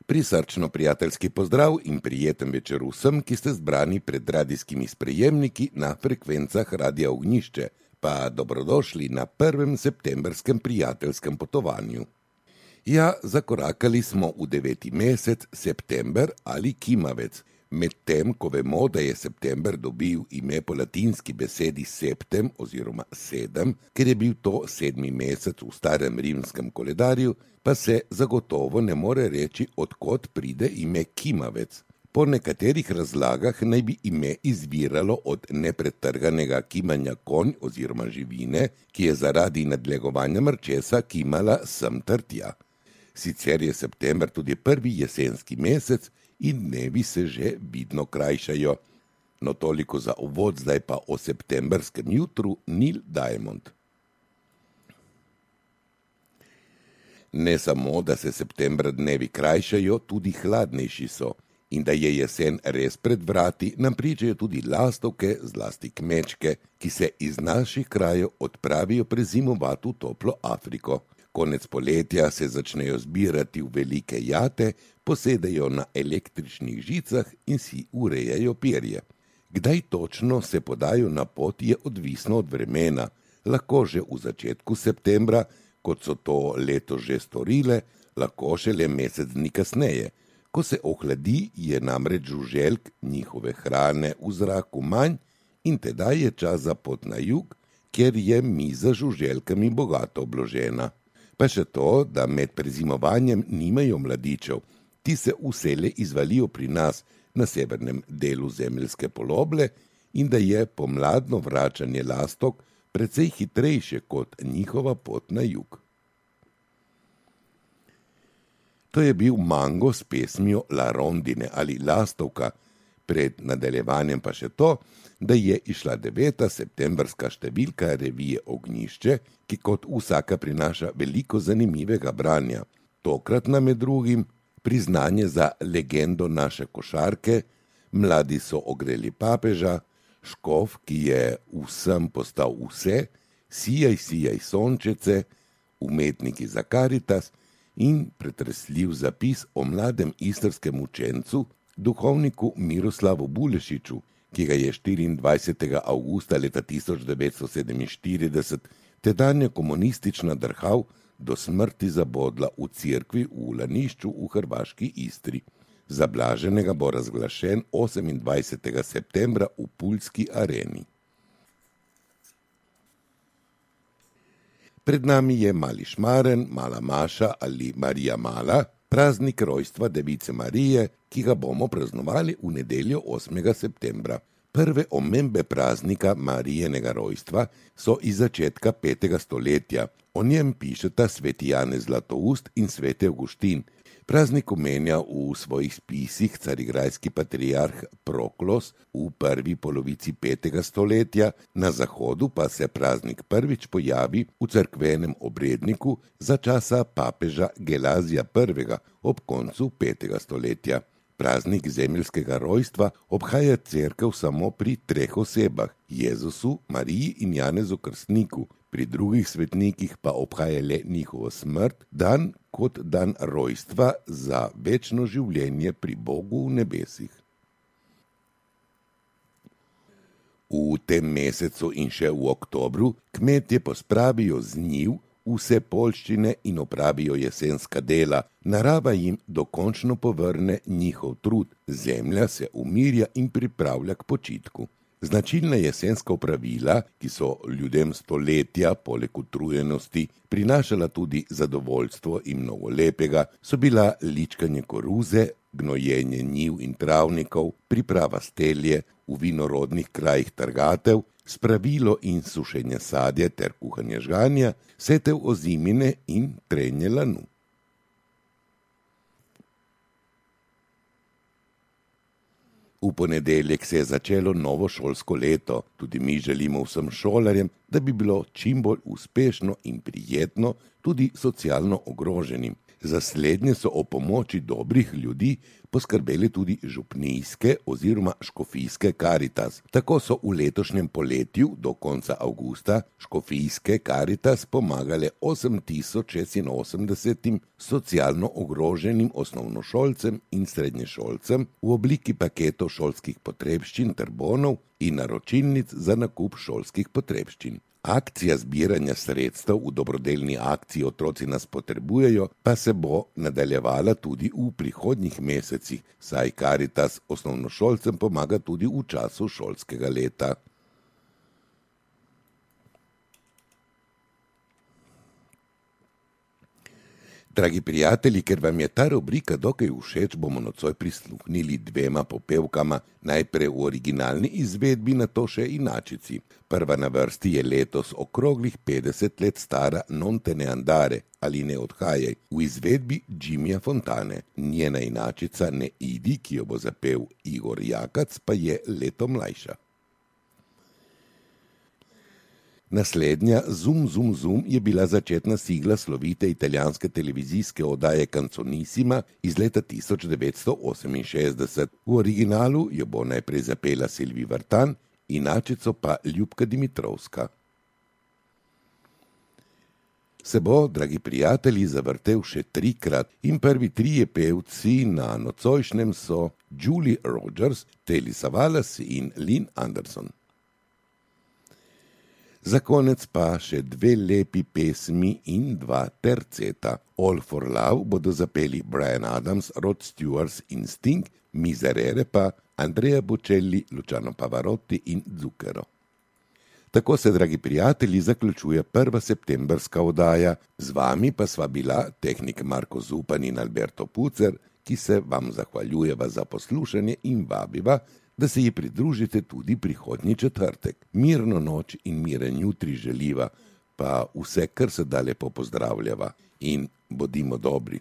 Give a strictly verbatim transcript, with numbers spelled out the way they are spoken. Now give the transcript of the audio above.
Prisrčno prijateljski pozdrav in prijeten večer vsem, ki ste zbrani pred radijskimi sprejemniki na frekvencah Radia Ognjišče, pa dobrodošli na prvem septembrskem prijateljskem potovanju. Ja, zakorakali smo v deveti mesec, september ali kimavec, medtem ko vemo, da je september dobil ime po latinski besedi septem oziroma sedem, ker je bil to sedmi mesec v starem rimskem koledarju, pa se zagotovo ne more reči, odkot pride ime kimavec. Po nekaterih razlagah naj bi ime izviralo od nepretrganega kimanja konj oziroma živine, ki je zaradi nadlegovanja mrčesa kimala sem ter tja. Sicer je september tudi prvi jesenski mesec in dnevi se že vidno krajšajo. No toliko za uvod, zdaj pa o septembrskem jutru Neil Diamond. Ne samo, da se septembra dnevi krajšajo, tudi hladnejši so. In da je jesen res pred vrati, nam pričajo tudi lastovke, zlasti kmečke, ki se iz naših krajev odpravijo prezimovati v toplo Afriko. Konec poletja se začnejo zbirati v velike jate, posedajo na električnih žicah in si urejajo perje. Kdaj točno se podajo na pot, je odvisno od vremena. Lahko že v začetku septembra, kot so to leto že storile, lahko šele mesec dni kasneje. Ko se ohladi, je namreč žuželk, njihove hrane v zraku manj in tedaj je čas za pot na jug, kjer je miza žuželkami bogato obložena. Pa še to, da med prezimovanjem nimajo mladičev, ti se vselej izvalijo pri nas na severnem delu zemeljske poloble in da je pomladno vračanje lastovk precej hitrejše kot njihova pot na jug. To je bil Mango s pesmijo La Rondine ali Lastovka, pred nadaljevanjem pa še to, da je išla deveta septembrska številka revije Ognjišče, ki kot vsaka prinaša veliko zanimivega branja. Tokrat nam je drugim priznanje za legendo naše košarke, Mladi so ogreli papeža, Škof, ki je vsem postal vse, Sijaj, sijaj sončece, Umetniki za Karitas in pretresljiv zapis o mladem istrskem učencu, duhovniku Miroslavu Bulešiču, ki ga je štiriindvajsetega avgusta leta tisoč devetsto sedeminštirideset tedanja komunistična drhal do smrti zabodla v cerkvi v Lanišču v hrvaški Istri. Za blaženega bo razglašen osemindvajsetega septembra v Puljski areni. Pred nami je Mali Šmaren, Mala Maša ali Marija Mala, praznik rojstva Device Marije, ki ga bomo praznovali v nedeljo osmega septembra. Prve omembe praznika Marijenega rojstva so iz začetka petega stoletja. O njem pišeta sveti Janez Zlatoust in sveti Avguštin. Praznik omenja v svojih spisih carigrajski patriarh Proklos v prvi polovici petega stoletja, na zahodu pa se praznik prvič pojavi v cerkvenem obredniku za časa papeža Gelazija prvega ob koncu petega stoletja. Praznik zemeljskega rojstva obhaja cerkev samo pri treh osebah, Jezusu, Mariji in Janezu Krstniku. Pri drugih svetnikih pa obhaja le njihovo smrt, dan kot dan rojstva za večno življenje pri Bogu v nebesih. V tem mesecu in še v oktobru kmetje pospravijo z njiv vse poljščine in opravijo jesenska dela. Narava jim dokončno povrne njihov trud, zemlja se umirja in pripravlja k počitku. Značilna jesenska opravila, ki so ljudem stoletja, poleg utrujenosti, prinašala tudi zadovoljstvo in mnogo lepega, so bila ličkanje koruze, gnojenje njiv in travnikov, priprava stelje, v vinorodnih krajih trgatev, spravilo in sušenje sadja ter kuhanje žganja, setev ozimine in trenje lanu. V ponedeljek se je začelo novo šolsko leto. Tudi mi želimo vsem šolarjem, da bi bilo čim bolj uspešno in prijetno tudi socialno ogroženim. Za slednje so o pomoči dobrih ljudi poskrbeli tudi župnijske oziroma škofijske Karitas. Tako so v letošnjem poletju do konca avgusta škofijske Karitas pomagale osem tisoč šestinosemdesetim socialno ogroženim osnovnošolcem in srednješolcem v obliki paketov šolskih potrebščin ter bonov in naročilnic za nakup šolskih potrebščin. Akcija zbiranja sredstev v dobrodelni akciji Otroci nas potrebujejo pa se bo nadaljevala tudi v prihodnjih mesecih, saj Karitas osnovnošolcem pomaga tudi v času šolskega leta. Dragi prijatelji, ker vam je ta rubrika dokaj všeč, bomo nocoj prisluhnili dvema popevkama, najprej v originalni izvedbi, nato še inačici. Prva na vrsti je letos okroglih petdeset let stara Non te ne andare ali Ne odhajaj v izvedbi Jimmyja Fontane. Njena inačica Ne idi, ki jo bo zapel Igor Jakac, pa je leto mlajša. Naslednja Zum zum zum je bila začetna sigla slovite italijanske televizijske oddaje Canzonissima iz leta tisoč devetsto oseminšestdeset. V originalu jo bo najprej zapela Silvi Vartan, inačico pa Ljubka Dimitrovska. Se bo, dragi prijatelji, zavrtel še trikrat in prvi trije pevci na nocojšnjem so Julie Rogers, Telly Savalas in Lynn Anderson. Za konec pa še dve lepi pesmi in dva terceta. All for Love bodo zapeli Bryan Adams, Rod Stewart in Sting, Miserere pa Andrea Bocelli, Luciano Pavarotti in Zucchero. Tako se, dragi prijatelji, zaključuje prva septembrska oddaja. Z vami pa sva bila tehnik Marko Zupan in Alberto Pucer, ki se vam zahvaljujeva za poslušanje in vabiva, da se ji pridružite tudi prihodnji četrtek. Mirno noč in miren jutri želiva, pa vse, kar se da lepo pozdravljava in bodimo dobri.